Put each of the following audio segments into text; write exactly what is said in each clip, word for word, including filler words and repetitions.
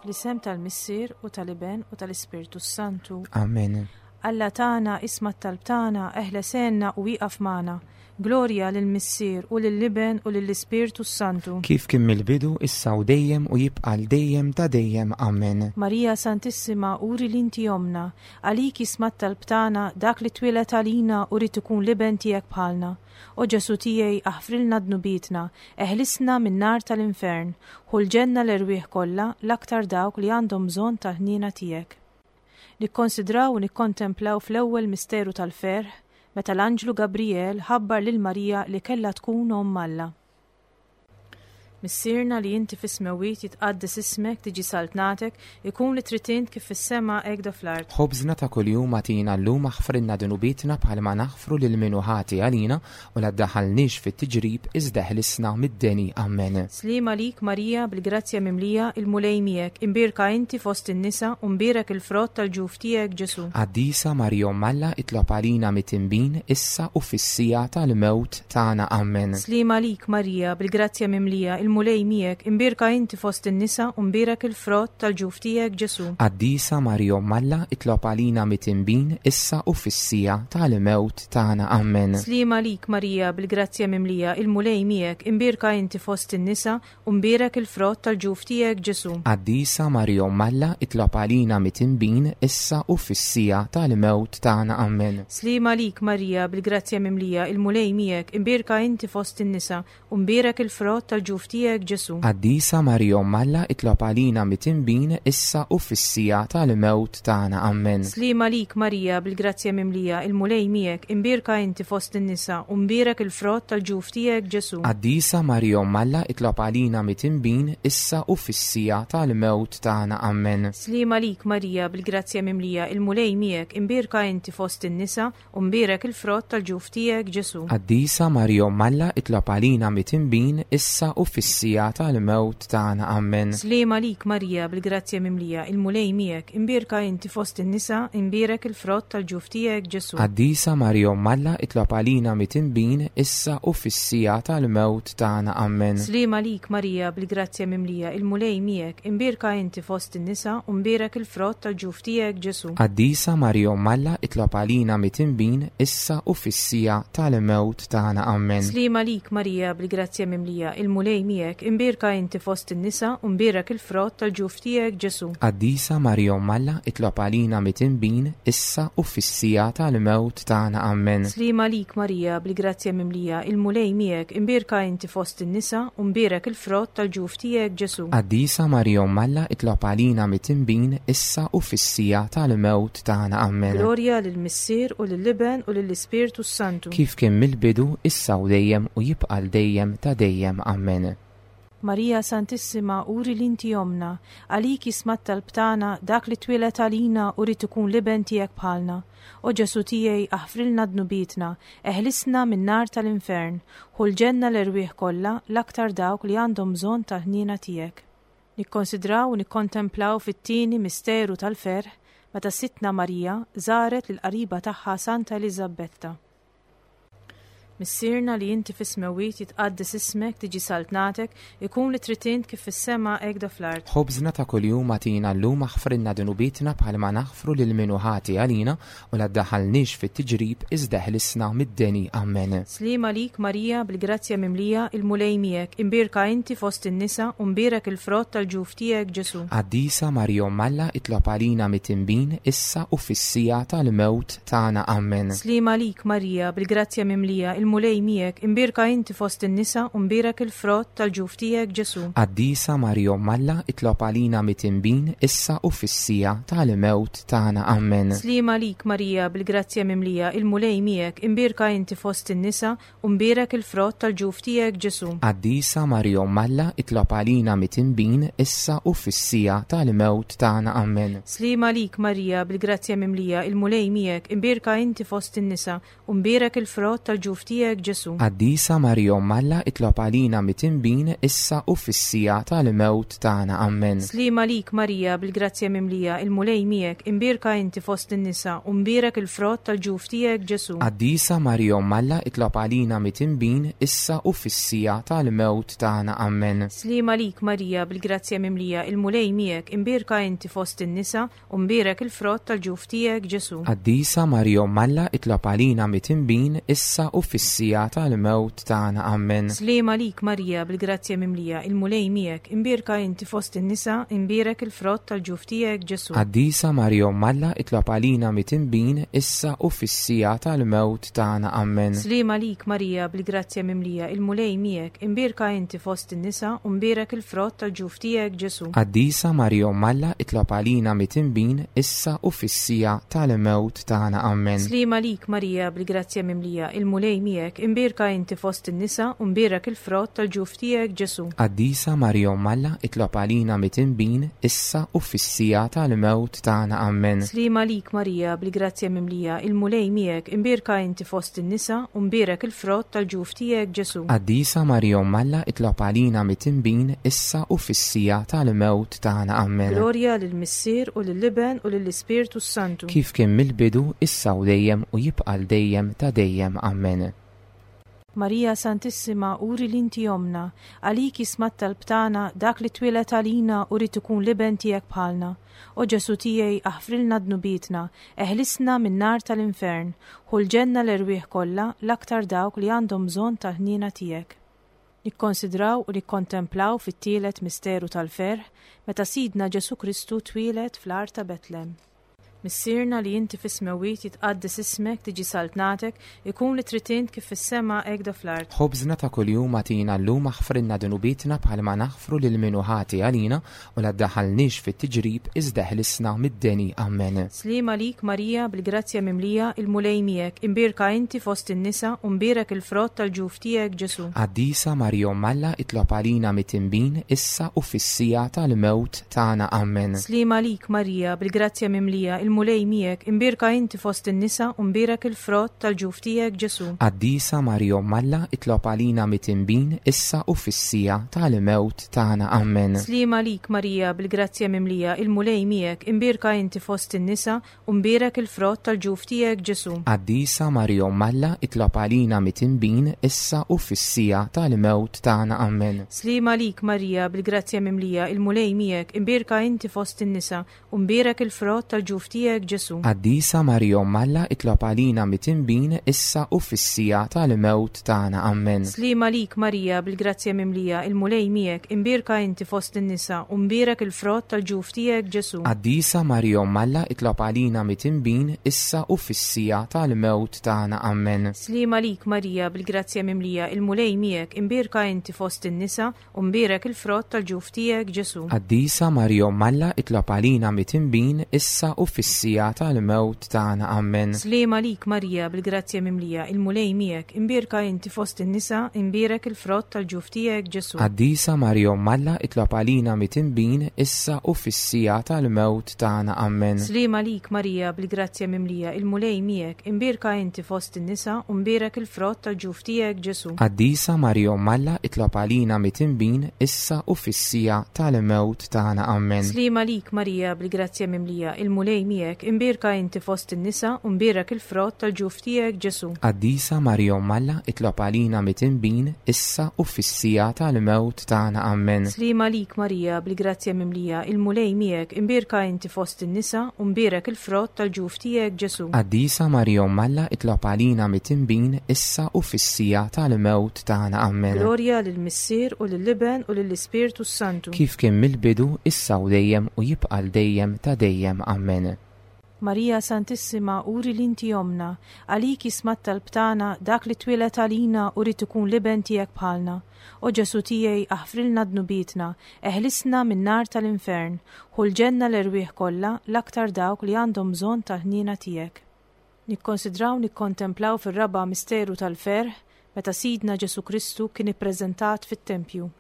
L-isem tal-Missier u tal-Iben u tal-Ispirtu Santu. Amen. Alla tagħna isma' t-talb tagħna, eħles għinna u wieqaf magħna. Glorja lill-Missier u lill-Iben u lill-Ispirtu Santu. Kif kien mill-bidu, issa u dejjem u jibqa' l dejjem ta' dejjem. Amen. Marija Santissima, uri li inti omna, għalik jisma' t-talb tagħna dak li twieled għalina u rrid ikun l-iben tiegħek bħalna. O Ġesu tiegħi, aħfrilna dnubietna, eħlisna min-nar tal-infern, ħu l-ġenna l-erwieħ kollha l-aktar dawk li għandhom bżonn tal-ħniena tiegħek. Nikkonsidraw u nikkontemplaw fl-ewwel misteru tal-ferħ meta l-Anġlu Gabriel ħabbar lil Marija li kellha tkun omm Alla. Missierna li inti fis-smewwiet jitqaddes ismek, tiġi saltnatek, ikun li trid int kif fis-sema hekk fl-art. Ħobżna ta' kuljum agħtina llum aħfrilna dnubietna bħalma naħfru lil min hu ħati għalina u la ddaħħalniex fit-tiġrib iżda ħlisna mid-deni. Amen. Slim għalik Marija bil-grazzja mimlija il-Mulej miegħek, imbierka inti fost in-nisa u mbierek il-frott tal-ġuf tiegħek Ġesu. Qaddisa Marija Omm Alla itlob għalina midinbin issa u fis-siegħa tal-mewt tagħna. Amen. Slim għalik Marija bil-grazzja mimlija il-Mulej miegħek, imbierka inti fost in-nisa u mbierek il-frott tal-ġuf tiegħek Ġesu. Qaddisa Marija Omm Alla itlob għalina midinbin issa u fis-siegħa tal-mewt tagħna. Amen. Slim għalik Marija bil-grazzja mimlija il-Mulej miegħek, imbierka inti fost in-nisa u mbierek il-frott tal-ġuf tiegħek Ġesu. Qaddisa Marija Omm Alla itlob għalina midinbin issa u fis-siegħa tal-mewt tagħna. Amen. Slim għalik Marija bil-grazzja mimlija il-Mulej miegħek, imbierka inti fost in-nisa u mbierek il-frott tal-ġuf tiegħek Ġesu. Qaddisa Marija Omm Alla itlob għalina midinbin issa u fis-siegħa tal-mewt tagħna. Amen. Slim għalik Marija bil-grazzja mimlija il-Mulej miegħek, imbierka inti fost in-nisa u mbierek il-frott tal-ġuf tiegħek Ġesu. Qaddisa Marija Omm Alla itlob għalina midinbin issa u fis-siegħa tal-mewt tagħna. Amen. Slim għalik Marija bil-grazzja mimlija il-Mulej miegħek, imbierka inti fost in-nisa u mbierek il-frott tal-ġuf tiegħek Ġesu. Qaddisa Marija Omm Alla itlob għalina midinbin issa u fis-siegħa tal-mewt tagħna. Amen. Slim għalik Marija bil-grazzja mimlija il-Mulej miegħek, imbierka inti fost in-nisa, imbierek il-frott tal-ġuf tiegħek Ġesu. Qaddisa Marija Omm Alla itlob għalina midinbin issa u fis-siegħa tal-mewt tagħna. Amen. Slim għalik Marija bil-grazzja mimlija il-Mulej miegħek, imbierka inti fost in-nisa u mbierek il-frott tal-ġuf tiegħek Ġesu. Qaddisa Marija Omm Alla itlob għalina midinbin issa u fis-siegħa tal-mewt tagħna. Amen. Slim għalik Marija bil-grazzja mimlija il-Mulej miegħek, imbierka inti fost in-nisa u mbierek il-frott tal-ġuf tiegħek Ġesu. Qaddisa Marija Omm Alla itlob għalina midinbin issa u fis-siegħa tal-mewt tagħna. Amen. Slim għalik Marija bil-grazzja mimlija il-Mulej miegħek, imbierka inti fost in-nisa u mbierek il-frott tal-ġuf tiegħek Ġesu. Qaddisa Marija Omm Alla itlob għalina midinbin issa u fis-siegħa tal-mewt tagħna. Amen. Glorja lill-Missier u lill-Iben u lill-Ispirtu Santu. Kif kien mill-bidu, issa u dejjem u jibqa' l dejjem ta' dejjem. Amen. Marija Santissima, uri li inti omna, għalik jisma' t-talb tagħna dak li twieled għalina u rrid ikun l-iben tiegħek bħalna. O Ġesu tiegħi, aħfrilna dnubietna, eħlisna min-nar tal-infern, ħu l-ġenna l-erwieħ kollha l-aktar dawk li għandhom bżonn tal-ħniena tiegħek. Nikkonsidraw u nikkontemplaw fit-tieni misteru tal-ferħ meta Sidtna Marija żaret lil qariba tagħha Santa Eliżabetta. Missierna li inti fis-smewwiet jitqaddes ismek, tiġi saltnatek, ikun li trid int kif fis-sema hekk fl-art. Ħobżna ta' kuljum agħtina llum aħfrilna dnubietna bħalma naħfru lil min hu ħati għalina u la ddaħħalniex fit-tiġrib iżda ħlisna mid-deni. Amen. Slim għalik Marija bil-grazzja mimlija il-Mulej miegħek, imbierka inti fost in-nisa u mbierek il-frott tal-ġuf tiegħek Ġesu. Qaddisa Marija Omm Alla itlob għalina midinbin issa u fis-siegħa tal-mewt tagħna. Amen. Slim għalik Marija bil-grazzja mimlija il-Mulej miegħek, imbierka inti fost in-nisa u mbierek il-frott tal-ġuf tiegħek Ġesu. Qaddisa Marija Omm Alla itlob għalina midinbin issa u fis-siegħa tal-mewt tagħna. Amen. Slim għalik Marija bil-grazzja mimlija il-Mulej miegħek, imbierka inti fost in-nisa u mbierek il-frott tal-ġuf tiegħek Ġesu. Qaddisa Marija Omm Alla itlob għalina midinbin issa u fis-siegħa tal-mewt tagħna. Amen. Slim għalik Marija bil-grazzja mimlija il-Mulej miegħek, imbierka inti fost in-nisa u mbierek il-frott tal-ġuf tiegħek tiegħek Ġesu. Qaddisa Marija Omm Alla, itlob għalina midinbin, issa u fis-siegħa tal-mewt tagħna. Amen. Sliema għalik Marija, bil-grazzja mimlija, il-Mulej miegħek, imbierka inti fost in-nisa, u mbierek il-frott tal-ġuf tiegħek Ġesu. Qaddisa Marija Omm Alla, itlob għalina midinbin, issa u fis-siegħa tal-mewt tagħna. Amen. Sliema għalik Marija, bil-grazzja mimlija, il-Mulej miegħek, imbierka inti fost in-nisa, u mbierek il-frott tal-ġuf tiegħek Ġesu. Qaddisa Marija Omm Alla, itlob għalina midinbin, issa u fis-siegħa tal-mewt tagħna. Amen. Sliema għalik Marija, bil-grazzja mimlija, il-Mulej miegħek, imbierka inti fost in-nisa, imbierek il-frott tal-ġuf tiegħek Ġesu. Qaddisa Marija Omm Alla, itlob għalina midinbin, issa u fis-siegħa tal-mewt tagħna. Amen. Sliema għalik Marija, bil-grazzja mimlija, il-Mulej miegħek, imbierka inti fost in-nisa, u mbierek il-frott tal-ġuf tiegħek Ġesu. Qaddisa Marija Omm Alla, itlob għalina midinbin, issa u fis-siegħa tal-mewt tagħna. Amen. Sliema għalik Marija, bil-grazzja mimlija, il-Mulej miegħek, imbierka inti fost in-nisa, u mbierek il-frott tal-ġuf tiegħek Ġesu. Qaddisa Marija Omm Alla, itlob għalina midinbin, issa u fis-siegħa tal-mewt tagħna. Amen. Sliema għalik Marija, bil-grazzja mimlija, il-Mulej miegħek, imbierka inti fost in-nisa, u mbierek il-frott tal-ġuf tiegħek Ġesu. Qaddisa Marija Omm Alla, itlob għalina midinbin, issa u fis-siegħa tal-mewt tagħna. Amen. Glorja lill-Missier u lill-Iben u lill-Ispirtu s-Santu. Kif kien mill-bidu, issa u dejjem u jibqa' l dejjem ta' dejjem. Amen. Marija Santissima, uri li inti ommna, għalik jisma' t-talb tagħna dak li twieled għalina u ried ikun l-iben tiegħek bħalna. O Ġesu tiegħi, aħfrilna dnubietna, eħlisna min-nar tal-infern, ħu l-ġenna l-erwieħ kollha, l-aktar dawk li għandhom bżonn tal-ħniena tiegħek. Nikkonsidraw u nikkontemplaw fit-tielet misteru tal-ferħ meta Sidna Ġesu Kristu twieled fl-għar ta' Betlem. Missierna li inti fis-smewwiet, jitqaddes ismek, tiġi saltnatek, ikun li trid int kif fis-sema hekk fl-art. Ħobżna ta' kuljum agħtina llum, aħfrilna dnubietna bħalma naħfru lil min hu ħati għalina, u la ddaħħalniex fit-tiġrib, iżda eħlisna mid-deni. Amen. Sliema għalik Marija, bil-grazzja mimlija, il-Mulej miegħek, imbierka inti fost in-nisa u mbierek il-frott tal-ġuf tiegħek Ġesu. Qaddisa Marija Omm Alla, itlob għalina midinbin, issa u fis-siegħa tal-mewt tagħna. Amen. Sliema għalik Marija, bil-grazzja mimlija, il-Mulej miegħek, imbierka inti fost in-nisa u mbierek il-frott tal-ġuf tiegħek Ġesu. Qaddisa Marija Omm Alla, itlob għalina midinbin, issa u fis-siegħa tal-mewt tagħna. Amen. Sliema għalik Marija, bil-grazzja mimlija, il-Mulej miegħek, imbierka inti fost in-nisa u mbierek il-frott tal-ġuf tiegħek Ġesu. Qaddisa Marija Omm Alla, itlob għalina midinbin, issa u fis-siegħa tal-mewt tagħna. Amen. Sliema għalik Marija, bil-grazzja mimlija, il-Mulej miegħek, imbierka inti fost in-nisa u mbierek il-frott tal-ġuf tiegħek Ġesu. Qaddisa Marija Omm Alla, itlob għalina midinbin, issa u fis-siegħa tal-mewt tagħna. Amen. Sliema għalik Marija, bil-grazzja mimlija, il-Mulej miegħek, imbierka inti fost in-nisa u mbierek il-frott tal-ġuf tiegħek Ġesu. Qaddisa Marija Omm Alla, itlob għalina midinbin, issa u fis-siegħa tal-mewt tagħna. Amen. Sliema għalik Marija, bil-grazzja mimlija, il-Mulej miegħek, imbierka inti fost in-nisa u mbierek il-frott tal-ġuf tiegħek Ġesu. Qaddisa Marija Omm Alla, itlob għalina midinbin, issa u fis-siegħa tal-mewt tagħna. Amen. Sliema għalik Marija, bil-grazzja mimlija, il-Mulej miegħek, imbierka inti fost in-nisa, imbierek il-frott tal-ġuf tiegħek Ġesu. Qaddisa Marija Omm Alla, itlob għalina midinbin, issa u fis-siegħa tal-mewt tagħna. Amen. Sliema għalik Marija, bil-grazzja mimlija, il-Mulej miegħek, imbierka inti fost in-nisa u mbierek il-frott tal-ġuf tiegħek Ġesu. Qaddisa Marija Omm Alla, itlob għalina midinbin, issa u fis-siegħa tal-mewt tagħna. Amen. Sliema għalik Marija, bil-grazzja mimlija, il-Mulej miegħek, imbierka inti fost in-nisa u mbierek il-frott tal-ġuf tiegħek Ġesu. Qaddisa Marija Omm Alla, itlob għalina midinbin, issa u fis-siegħa tal-mewt tagħna. Amen. Sliema għalik Marija, bil-grazzja mimlija, il-Mulej miegħek, imbierka inti fost in-nisa u mbierek il-frott tal-ġuf tiegħek Ġesu. Qaddisa Marija Omm Alla, itlob għalina midinbin, issa u fis-siegħa tal-mewt tagħna. Amen. Glorja lill-Missier u lill-Iben u lill-Ispirtu s-Santu. Kif kien mill-bidu, issa u dejjem u jibqa' l dejjem ta' dejjem. Amen. Marija Santissima, uri li inti ommna, għalik jisma' t-talb tagħna dak li twieled għalina u ried ikun l-iben tiegħek bħalna. O Ġesu tiegħi, aħfrilna dnubietna, eħlisna min-nar tal-infern, ħu l-ġenna l-erwieħ kollha, l-aktar dawk li għandhom bżonn tal-ħniena tiegħek. Nikkonsidraw nikkontemplaw fir-raba' misteru tal-ferħ meta Sidna Ġesu Kristu kien ippreżentat fit-tempju.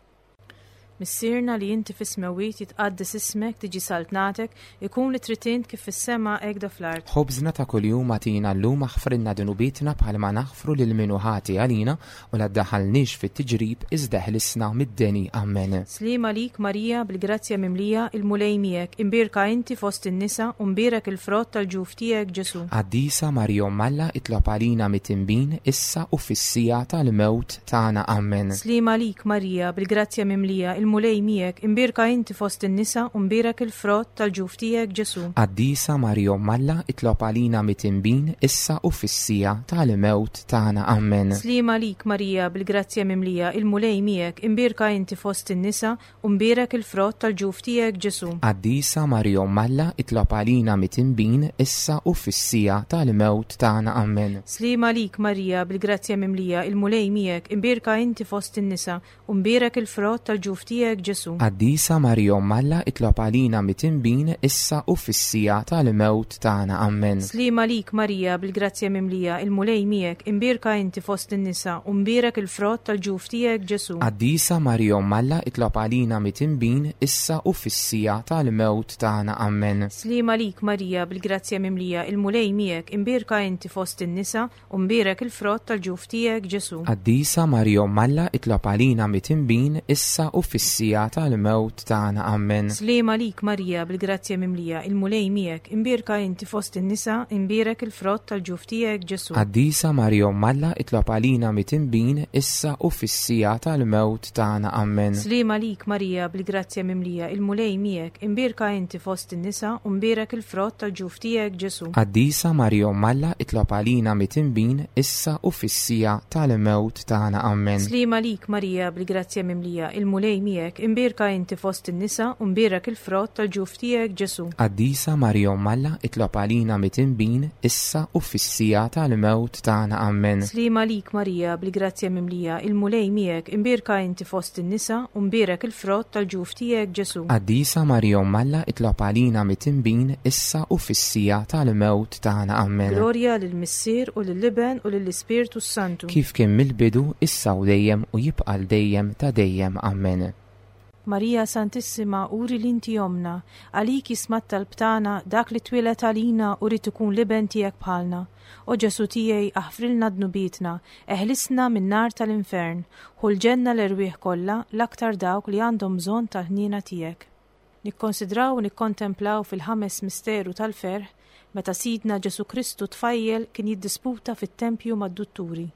Missierna li inti fis-smewwiet, jitqaddes ismek, tiġi saltnatek, ikun li trid int kif fis-sema hekk fl-art. Ħobżna ta' kuljum agħtina llum, aħfrilna dnubietna bħalma naħfru lil min hu ħati għalina, u la ddaħħalniex fit-tiġrib iżda ħlisna mid-deni. Amen. Sliema għalik Marija, bil-grazzja mimlija, il-Mulej miegħek, imbierka inti fost in-nisa u mbierek il-frott tal-ġuf tiegħek Ġesu. Qaddisa Marija Omm Alla, itlob għalina midinbin, issa u fis-siegħa tal-mewt tagħna. Amen. Sliema għalik Marija, bil-grazzja mimlija, il-Mulej miegħek, imbierka inti fost in-nisa u mbierek il-frott tal-ġuf tiegħek Ġesu. Qaddisa Marija Omm Alla, itlob għalina midinbin, issa u fis-siegħa tal-mewt tagħna. Amen. Sliema għalik Marija, bil-grazzja mimlija, il-Mulej miegħek, imbierka inti fost in-nisa u mbierek il-frott tal-ġuf tiegħek Ġesu. Qaddisa Marija Omm Alla, itlob għalina midinbin, issa u fis-siegħa tal-mewt tagħna. Amen. Sliema għalik Marija, bil-grazzja mimlija, il-Mulej miegħek, imbierka inti fost in-nisa u mbierek il-frott tal-ġuf tiegħek Ġesu. Qaddisa Marija Omm Alla, itlob għalina midinbin, issa u fis-siegħa tal-mewt tagħna. Amen. Sliema għalik Marija, bil-grazzja mimlija, il-Mulej miegħek, imbierka inti fost in-nisa u mbierek il-frott tal-ġuf tiegħek Ġesu. Qaddisa Marija Omm Alla, itlob għalina midinbin, issa u fis-siegħa tal-mewt tagħna. Amen. Sliema għalik Marija, bil-grazzja mimlija, il-Mulej miegħek, imbierka inti fost in-nisa u mbierek il-frott tal-ġuf tiegħek Ġesu. Qaddisa Marija Omm Alla, itlob għalina midinbin, issa u fis-siegħa tal-mewt tagħna. Amen. Sliema għalik Marija, bil-grazzja mimlija, il-Mulej miegħek, imbierka inti fost in-nisa, imbierek il-frott tal-ġuf tiegħek Ġesu. Qaddisa Marija Omm Alla, itlob għalina midinbin, issa u fis-siegħa tal-mewt tagħna. Amen. Sliema għalik Marija, bil-grazzja mimlija, il-Mulej miegħek, imbierka inti fost in-nisa u mbierek il-frott tal-ġuf tiegħek Ġesu. Qaddisa Marija Omm Alla, itlob għalina midinbin, issa u fis-siegħa tal-mewt tagħna. Amen. Sliema għalik Marija, bil-grazzja mimlija, il-Mulej miegħek, imbierka inti fost in-nisa u mbierek il-frott tal-ġuf tiegħek Ġesu. Qaddisa Marija Omm Alla, itlob għalina midinbin, issa u fis-siegħa tal-mewt tagħna. Amen. Sliema għalik Marija, bil-grazzja mimlija, il-Mulej miegħek, imbierka inti fost in-nisa u mbierek il-frott tal-ġuf tiegħek Ġesu. Qaddisa Marija Omm Alla, itlob għalina midinbin, issa u fis-siegħa tal-mewt tagħna. Amen. Glorja lill-Missier u lill-Iben u lill-Ispirtu s-Santu. Kif kien mill-bidu, issa u dejjem u jibqa' dejjem ta' dejjem. Amen. Marija Santissima, uri li inti ommna, għalik jisma' t-talb tagħna dak li twieled għalina u ried ikun l-iben tiegħek bħalna. O Ġesu tiegħi, aħfrilna dnubietna, eħlisna min-nar tal-infern, ħu l-ġenna l-erwieħ kollha, l-aktar dawk li għandhom bżonn tal-ħniena tiegħek. Nikkonsidraw u nikkontemplaw fil-ħames misteru tal-ferħ meta Sidna Ġesu Kristu tfajjel kien jiddisputa fit-tempju mad-dutturi.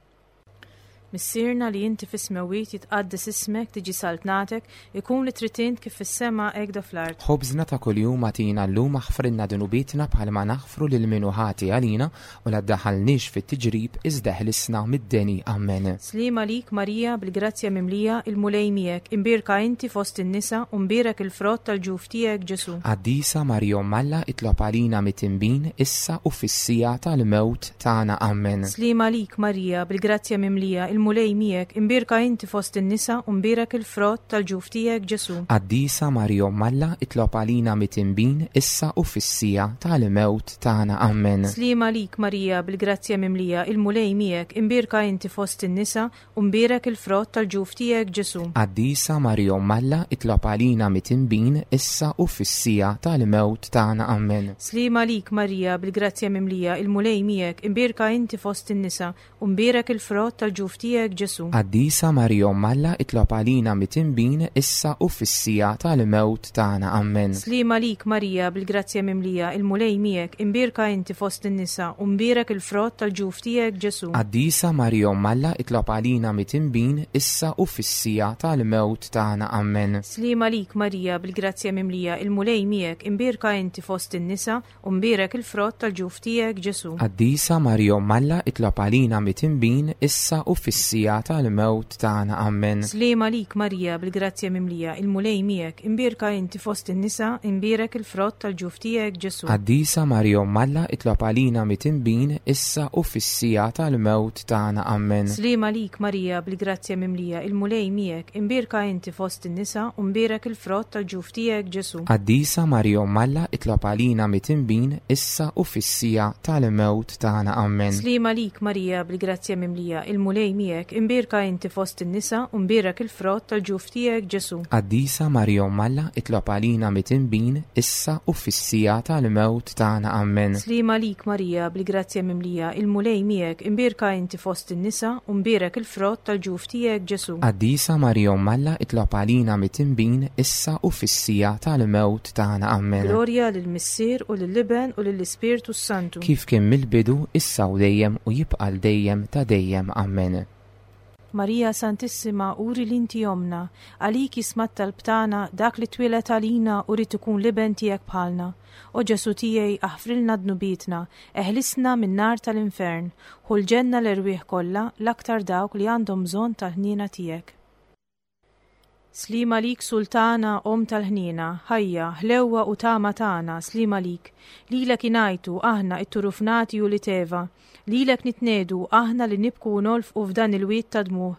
Missierna li inti fis-smewwiet, jitqaddes ismek, tiġi saltnatek, ikun li trid int kif fis-sema hekk fl-art. Ħobżna ta' kuljum agħtina llum, aħfrilna dnubietna bħalma naħfru lil min hu ħati għalina, u la ddaħħalniex fit-tiġrib iżda ħlisna mid-deni. Amen. Sliema għalik Marija, bil-grazzja mimlija, il-Mulej miegħek, imbierka inti fost in-nisa u mbierek il-frott tal-ġuf tiegħek Ġesu. Qaddisa Marija Omm Alla, itlob għalina midinbin, issa u fis-siegħa tal-mewt tagħna. Amen. Sliema għalik Marija, bil-grazzja mimlija, il-Mulej miegħek, imbierka inti fost in-nisa u mbierek il-frott tal-ġuf tiegħek Ġesu. Qaddisa Marija Omm Alla, itlob għalina midinbin, issa u fis-siegħa tal-mewt tagħna. Amen. Sliema għalik Marija, bil-grazzja mimlija, il-Mulej miegħek, imbierka inti fost in-nisa u mbierek il-frott tal-ġuf tiegħek Ġesu. Qaddisa Marija Omm Alla, itlob għalina midinbin, issa u fis-siegħa tal-mewt tagħna. Amen. Sliema għalik Marija, bil-grazzja mimlija, il-Mulej miegħek, imbierka inti fost in-nisa u mbierek il-frott tal-ġuf tiegħek Ġesu. Qaddisa Marija Omm Alla, itlob għalina midinbin, issa u fis-siegħa tal-mewt tagħna. Amen. Sliema għalik Marija, bil-grazzja mimlija, il-Mulej miegħek, imbierka inti fost in-nisa u mbierek il-frott tal-ġuf tiegħek Ġesu. Qaddisa Marija Omm Alla, itlob għalina midinbin, issa u fis-siegħa tal-mewt tagħna. Amen. Sliema għalik Marija, bil-grazzja mimlija, il-Mulej miegħek, imbierka inti fost in-nisa u mbierek il-frott tal-ġuf tiegħek Ġesu. Qaddisa Marija Omm Alla, itlob għalina midinbin, issa u fis-siegħa tal-mewt tagħna. Amen. Sliema għalik Marija, bil-grazzja mimlija, il-Mulej miegħek, imbierka inti fost in-nisa, imbierek il-frott tal-ġuf tiegħek Ġesu. Qaddisa Marija Omm Alla, itlob għalina midinbin, issa u fis-siegħa tal-mewt tagħna. Amen. Sliema għalik Marija, bil-grazzja mimlija, il-Mulej miegħek, imbierka inti fost in-nisa u mbierek il-frott tal-ġuf tiegħek Ġesu. Qaddisa Marija Omm Alla, itlob għalina midinbin, issa u fis-siegħa tal-mewt tagħna. Amen. Sliema għalik Marija, bil-grazzja mimlija, il-Mulej miegħek, imbierka inti fost in-nisa u mbierek il-frott tal-ġuf tiegħek Ġesu. Qaddisa Marija Omm Alla, itlob għalina midinbin, issa u fis-siegħa tal-mewt tagħna. Amen. Sliema għalik Marija, bil-grazzja mimlija, il-Mulej miegħek, imbierka inti fost in-nisa u mbierek il-frott tal-ġuf tiegħek Ġesu. Qaddisa Marija Omm Alla, itlob għalina midinbin, issa u fis-siegħa tal-mewt tagħna. Amen. Glorja lill-Missier u lill-Iben u lill-Ispirtu s-Santu. Kif kien mill-bidu, issa u dejjem u jibqa' l dejjem ta' dejjem. Amen. Marija Santissima, uri li inti ommna, għalik jisma' t-talb tagħna dak li twieled għalina u ried ikun l-iben tiegħek bħalna. O Ġesu tiegħi, aħfrilna dnubietna, eħlisna min-nar tal-infern, ħu l-ġenna l-erwieħ kollha, l-aktar dawk li għandhom bżonn tal-ħniena tiegħek. Sliema għalik Sultana, Omm tal-ħniena, ħajja, ħlewwa u tama tagħna, sliema għalik. Lilek ingħajtu aħna it-turufnati u li teva. Lilek nitnedu aħna li nibku u nolfqu f'dan il-wied ta' dmuħ.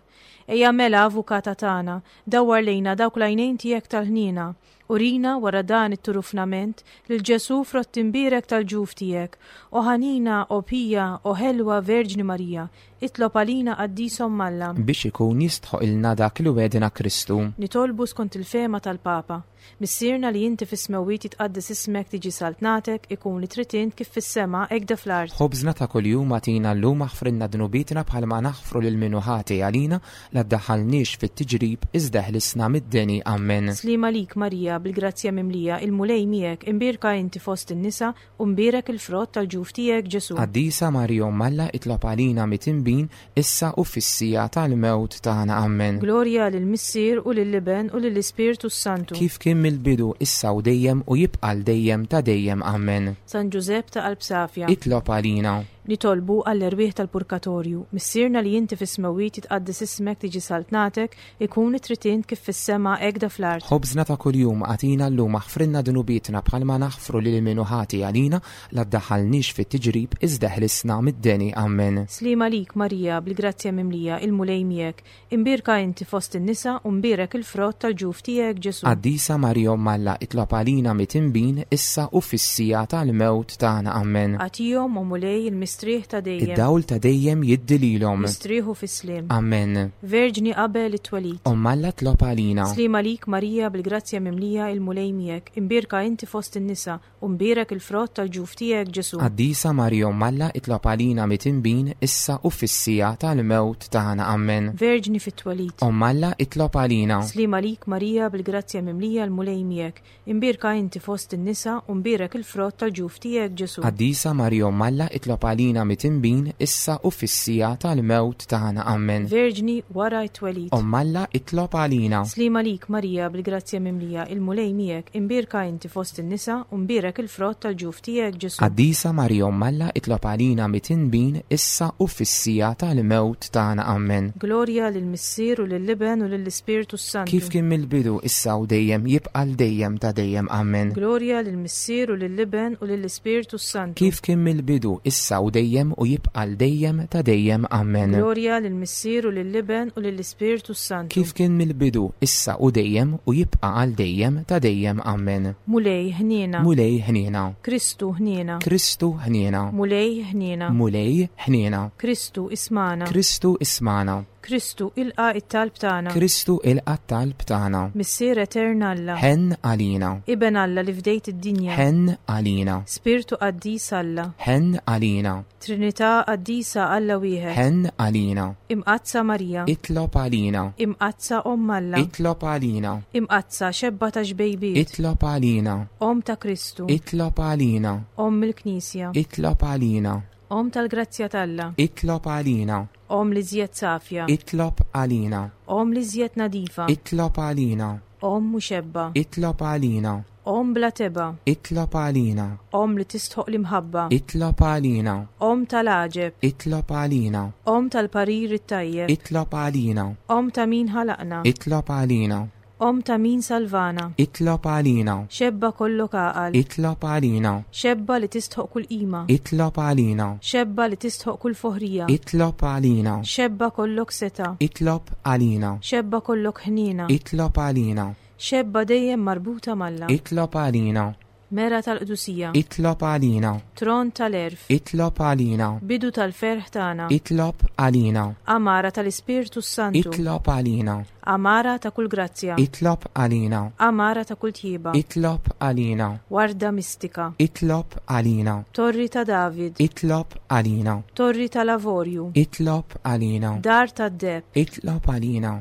Ejja mela avukata tagħna, dawwar lejna dawk l-għajnejn tiegħek tal-ħniena. Urina wara dan it-turufnament lil Ġesu frott imbierek tal-ġuf tiegħek. O ħanina, o pija, o ħelwa Verġni Marija, itlob għalina qaddisa Omm Alla. Biex ikun jistħoqilna dak li wegħedna Kristu. Nitolbu skont il-fehma tal-Papa. Missierna li inti fis-smewwiet jitqaddes ismek, tiġi saltnatek, ikun li trid int kif fis-sema hekk fl-art. Ħobżna ta' kuljum agħtina llum, aħfrilna dnubietna bħalma naħfru lil min hu ħati għalina, la ddaħħalniex fit-tiġrib iżda ħlisna mid-deni. Amen. Sliema għalik Marija, bil-grazzja mimlija, il-Mulej miegħek, imbierka inti fost in-nisa u mbierek il-frott tal-ġuf tiegħek Ġesu. Qaddisa Marija Omm Alla, itlob għalina midinbin, issa u fis-siegħa tal-mewt tagħna. Amen. Glorja lill-Missier u lill-Iben u lill-Ispirtu s-Santu. Kif kien mill-bidu, issa u dejjem u jibqa' l dejjem ta' dejjem. Amen. San Ġużepp ta' qalb safja. Itlob għalina. Nitolbu għall-erwieħ tal-purgatorju. Missierna li inti fis-smewwiet jitqaddes ismek, tiġi saltnatek, ikun trid int kif fis-sema hekk fl-art. Ħobżna ta' kuljum agħtina llum, aħfrilna dnubietna bħalma naħfru lil min hu ħati għalina, la ddaħħalniex fit-tiġrib iżda ħlisna mid-deni. Amen. Sliema għalik Marija, bil-grazzja mimlija, il-Mulej miegħek, imbierka inti fost in-nisa u mbierek il-frott tal-ġuf tiegħek Ġesu. Qaddisa Marija Omm Alla, itlob għalina midinbin, issa u fis-siegħa tal-mewt tagħna. Amen. Agħtihom, o Mulej, il-mistrieħ ta' dejjem. Id-dawl ta' dejjem jiddi lilhom. Mistrieħu fis-sliem. Amen. Verġni qabel it-twelid. Omm Alla, tlob għalina. Sliema għalik Marija, bil-grazzja mimlija, il-Mulej miegħek, imbierka inti fost in-nisa u mbierek il-frott tal-ġuf tiegħek Ġesu. Qaddisa Marija Omm Alla, itlob għalina midinbin, issa u fis-siegħa tal-mewt tagħna. Amen. Verġni fit-twelid. Omm Alla, itlob għalina. Sliema għalik Marija, bil-grazzja mimlija, il-Mulej miegħek, imbierka inti fost in-nisa u mbierek il-frott tal-ġuf tiegħek Ġesu. Qaddisa Marija Omm Alla, itlob għalina midinbin, issa u fis-siegħa tal-mewt tagħna. Amen. Verġni wara t-twelid. Omm Alla, itlob għalina. Sliema għalik Marija, bil-grazzja mimlija, il-Mulej miegħek, imbierka inti fost in-nisa u mbierek il-frott tal-ġuf tiegħek Ġesu. Qaddisa Marija Omm Alla, itlob għalina midinbin, issa u fis-siegħa tal-mewt tagħna. Amen. Glorja lill-Missier u lill-Iben u lill-Ispirtu s-Santu. Kif kien mill-bidu, issa u dejjem, jibqa' l dejjem ta' dejjem. Amen. Glorja lill-Missier u lill-Iben u lill-Ispirtu s-Santu. Kif kien mill-bidu, issa u dejjem u jibqa' l dejjem ta' dejjem. Amen. Glorja lill-Missier u lill-Iben u lill-Ispirtu s-Santu. Kif kien mill-bidu, issa u dejjem u jibqa' għal dejjem ta' dejjem. Amen. Mulej ħniena. Mulej ħniena. Kristu ħniena. Kristu ħniena. Mulej ħniena. Mulej ħniena. Kristu ismagħna. Kristu ismagħna. Kristu ilqa' it-talb tagħna. Kristu ilqa' t-talb tagħna. Missier etern Alla. Ħenn għalina. Iben Alla li fdejt id-dinja. Ħenn għalina. Spirtu qaddis Alla. Ħenn għalina. Trinità qaddisa Alla wieħed. Ħenn għalina. Imqaddsa Marija. Itlob għalina. Imqaddsa Omm Alla. Itlob għalina. Imqaddsa xebba ta' xbejbiet. Itlob għalina. Omm ta' Kristu. Itlob għalina. Omm il-Knisja. Itlob għalina. Omm tal-grazzja t'Alla. Itlob għalina. Omm li żjed safja. Itlob għalina. Omm li żjed nadifa. Itlob għalina. Omm muxebba. Itlob għalina. Omm bla tebgħa. Itlob għalina. Omm li tistħoq l-imħabba. Itlob għalina. Omm tal-għaġeb. Itlob għalina. Omm tal-parir it-tajjeb. Itlob għalina. Omm ta' min ħalaqna. Itlob għalina. Omm ta' min salvana. Itlob għalina. Xebba kollok għaqal. Itlob għalina. Xebba li tistħoq kull qima. Itlob għalina. Xebba li tistħoq kull foħrija. Itlob għalina. Xebba kollok seta. Itlob għalina. Xebba kollok ħniena. Itlob għalina. Xebba dejjem marbuta m'Alla. Itlob għalina. Mera tal-qdusija. Itlob għalina. Tron tal-għerf. Itlob għalina. Bidu tal-ferħ tagħna. Itlob għalina. Għamara tal-Ispirtu s-Santu. Itlob għalina. Għamara ta' kull grazzja. Itlob għalina. Għamara ta' kull tjieba. Itlob għalina. Warda mistika. Itlob għalina. Torri ta' David. Itlob għalina. Torri tal-Avorju. Itlob għalina. Dar tad-deheb. Itlob għalina.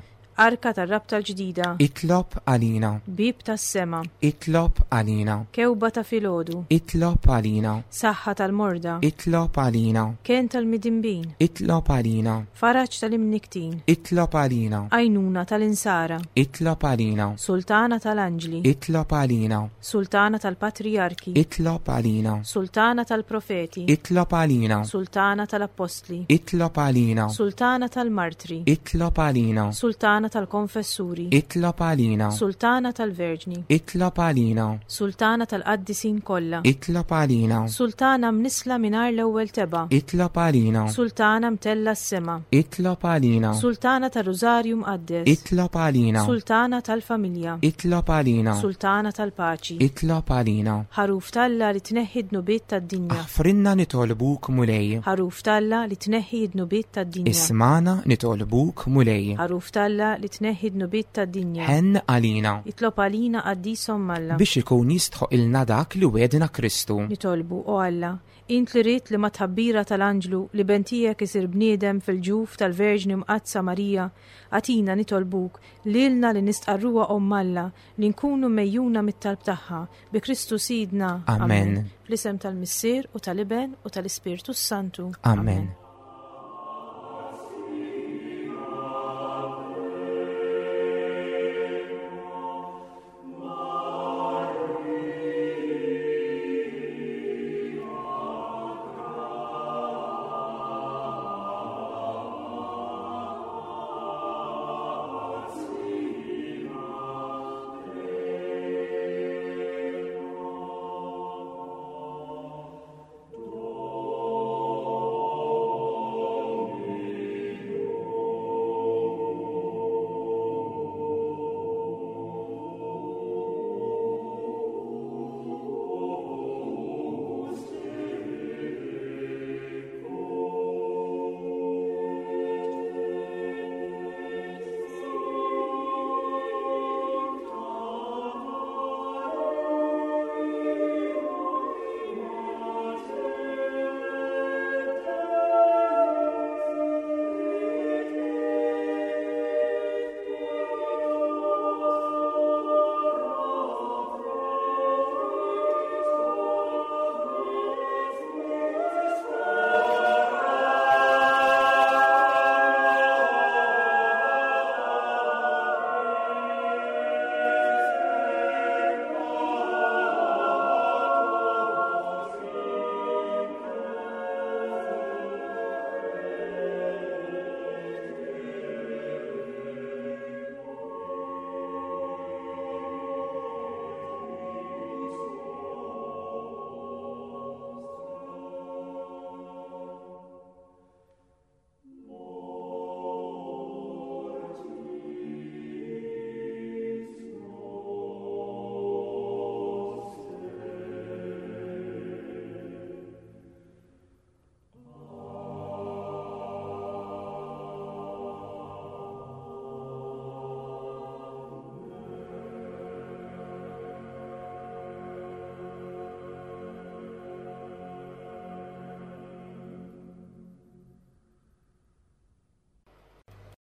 Arka tar-rabta l-ġdida. Itlob għalina. Bieb tas-sema. Itlob għalina. Kewba ta' filgħodu. Itlob għalina. Saħħa tal-morda. Itlob għalina. Kenn tal-midinbin. Itlob għalina. Faraġ tal-imniktin. Itlob għalina. Għajnuna tal-insara. Itlob għalina. Sultana tal-anġli. Itlob għalina. Sultana tal-patrijarki. Itlob għalina. Sultana tal-profeti. Itlob għalina. Sultana tal-appostli. Itlob għalina. Sultana tal-martri. Itlob għalina. Sultana tal-konfessuri. Itlob għalina. Sultana tal-Verġni. Itlob għalina. Sultana tal-qaddisin kollha. Itlob għalina. Sultana mnissla mingħajr l-ewwel tebgħa. Itlob għalina. Sultana mtellgħa s-sema. Itlob għalina. Sultana tar-Rużarju Mqaddes. Itlob għalina. Sultana tal-familja. Itlob għalina. Sultana tal-paċi. Itlob għalina. Ħaruf t'Alla li tneħħi d-dnubiet tad-dinja. Aħfrilna nitolbuk Mulej. Ħaruf t'Alla li tneħħi d-dnubiet tad-dinja. Ismagħna nitolbuk Mulej. Ħaruf t'Alla li tneħħi d-dnubiet tad-dinja. Ħenn għalina. Itlob għalina qaddis Omm Alla. Biex ikun jistħoqqilna dak li wegħedna Kristu. Nitolbu, o Alla, int li ridt li mat-tħabbira tal-anġlu l-Iben tiegħek isir bniedem fil-ġuf tal-Verġni Mqaddsa Marija, agħtina nitolbuk lilna li nistqarruha Omm Alla li nkunu megħjuna mit-talb tagħha bi Kristu Sidna. Amen. Fl-isem tal-Missier u tal-Iben u tal-Ispirtu Santu. Amen.